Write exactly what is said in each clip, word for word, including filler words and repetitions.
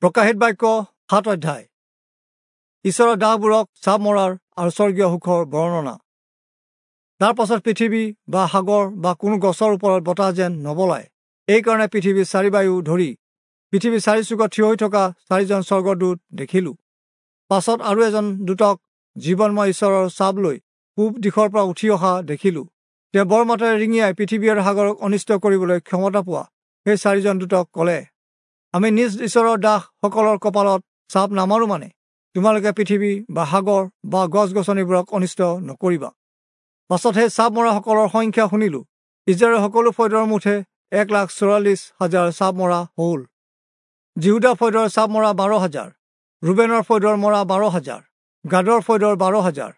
প্ৰকাশিত বাক্য সাত অধ্যায়। ঈশ্বৰৰ দাসবোৰক ছাপ মৰাৰ আৰু স্বৰ্গীয় সুখৰ বৰ্ণনা। তাৰ পাছত পৃথিৱী বা সাগৰ বা কোনো গছৰ ওপৰত বতাহ যেন নবলায়, এইকাৰণে পৃথিৱীৰ চাৰিবায়ু ধৰি পৃথিৱীৰ চাৰিচুকত থিয় হৈ থকা চাৰিজন স্বৰ্গদূত দেখিলোঁ। পাছত আৰু এজন দূতক জীৱনময় ঈশ্বৰৰ ছাপ লৈ পূব দিশৰ পৰা উঠি অহা দেখিলোঁ। তেওঁ বৰ মাতেৰে ৰিঙিয়াই পৃথিৱী আৰু সাগৰক অনিষ্ট কৰিবলৈ ক্ষমতা পোৱা সেই চাৰিজন দূতক ক'লে, আমি নিজ ঈশ্বৰৰ দাসসকলৰ কপালত ছাপ নামাৰো মানে তোমালোকে পৃথিৱী বা সাগৰ বা গছ গছনিবোৰক অনিষ্ট নকৰিবা। পাছত সেই ছাপ মৰাসকলৰ সংখ্যা শুনিলোঁ। ইজৰাইলৰ সকলো ফৈদৰ মুঠে এক লাখ চৌৰাল্লিছ হাজাৰ ছাপ মৰা হ'ল। জিহুদা ফৈদৰ ছাপ মৰা বাৰ হাজাৰ, ৰুবেনৰ ফৈদৰ মৰা বাৰ হাজাৰ, গাদৰ ফৈদৰ বাৰ হাজাৰ,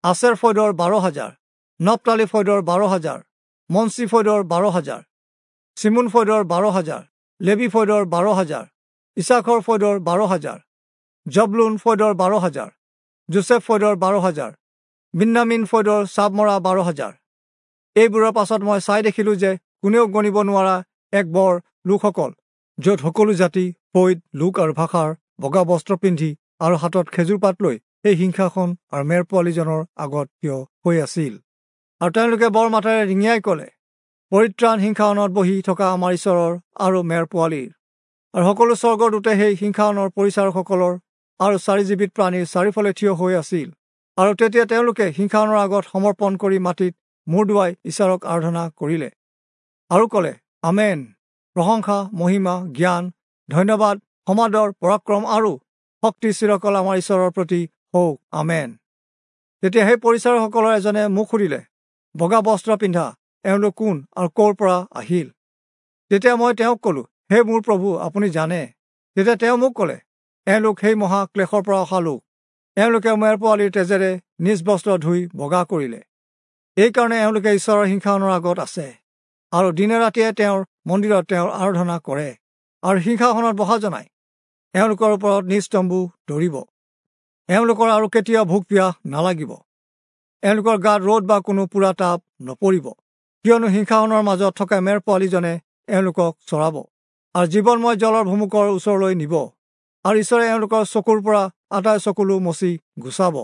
আছেৰ ফৈদৰ বাৰ হাজাৰ, নপ্তালি ফৈদৰ বাৰ হাজাৰ, মনচি ফৈদৰ বাৰ হাজাৰ, চিমোন ফৈদৰ বাৰ হাজাৰ, লেবি ফৈদৰ বাৰ হাজাৰ, ইছাখৰ ফৈদৰ বাৰ হাজাৰ, জবলুন ফৈদৰ বাৰ হাজাৰ, যোচেফ ফৈদৰ বাৰ হাজাৰ, বিন্যামীন ফৈদৰ ছাপ মৰা বাৰ হাজাৰ। এইবোৰৰ পাছত মই চাই দেখিলোঁ যে কোনেও গণিব নোৱাৰা এক বৰ লোকসকল, য'ত সকলো জাতি, ফৈদ, লোক আৰু ভাষাৰ বগা বস্ত্ৰ পিন্ধি আৰু হাতত খেজুৰ পাত লৈ সেই সিংহাসন আৰু মেৰ পোৱালীজনৰ আগত থিয় হৈ আছিল। আৰু তেওঁলোকে বৰ মাতেৰে ৰিঙিয়াই ক'লে, পৰিত্ৰাণ সিংহাসনত বহি থকা আমাৰ ঈশ্বৰৰ আৰু মেৰ পোৱালীৰ। আৰু সকলো স্বৰ্গদূতে সেই সিংহাসনৰ পৰিচাৰকসকলৰ আৰু চাৰিজীৱিত প্ৰাণীৰ চাৰিওফালে থিয় হৈ আছিল। আৰু তেতিয়া তেওঁলোকে সিংহাসনৰ আগত সমৰ্পণ কৰি মাটিত মূৰ দোৱাই ঈশ্বৰক আৰাধনা কৰিলে আৰু ক'লে, আমেন। প্ৰশংসা, মহিমা, জ্ঞান, ধন্যবাদ, সমাদৰ, পৰাক্ৰম আৰু শক্তি চিৰকাল আমাৰ ঈশ্বৰৰ প্ৰতি হওক, আমেন। তেতিয়া সেই পৰিচাৰকসকলৰ এজনে মোক সুধিলে, বগা বস্ত্ৰ পিন্ধা এওঁলোক কোন আৰু ক'ৰ পৰা আহিল? তেতিয়া মই তেওঁক ক'লোঁ, হে মোৰ প্ৰভু, আপুনি জানে। তেতিয়া তেওঁ মোক ক'লে, এওঁলোক সেই মহা ক্লেশৰ পৰা অহা লোক। এওঁলোকে মেৰ পোৱালীৰ তেজেৰে নিজ বস্ত্ৰ ধুই বগা কৰিলে। এইকাৰণে এওঁলোকে ঈশ্বৰৰ সিংহাসনৰ আগত আছে আৰু দিনে ৰাতিয়ে তেওঁৰ মন্দিৰত তেওঁৰ আৰাধনা কৰে আৰু সিংহাসনত বহা জনাই এওঁলোকৰ ওপৰত নিজ তম্বু ধৰিব। এওঁলোকৰ আৰু কেতিয়াও ভোক পিয়াহ নালাগিব। এওঁলোকৰ গাত ৰ'দ বা কোনো পোৰা তাপ নপৰিব, কিয়নো সিংহাসনৰ মাজত থকা মেৰ পোৱালীজনে এওঁলোকক চৰাব আৰু জীৱনময় জলৰ ভুমুকৰ ওচৰলৈ নিব আৰু ঈশ্বৰে এওঁলোকৰ চকুৰ পৰা আটাই চকুলো মচি গুচাব।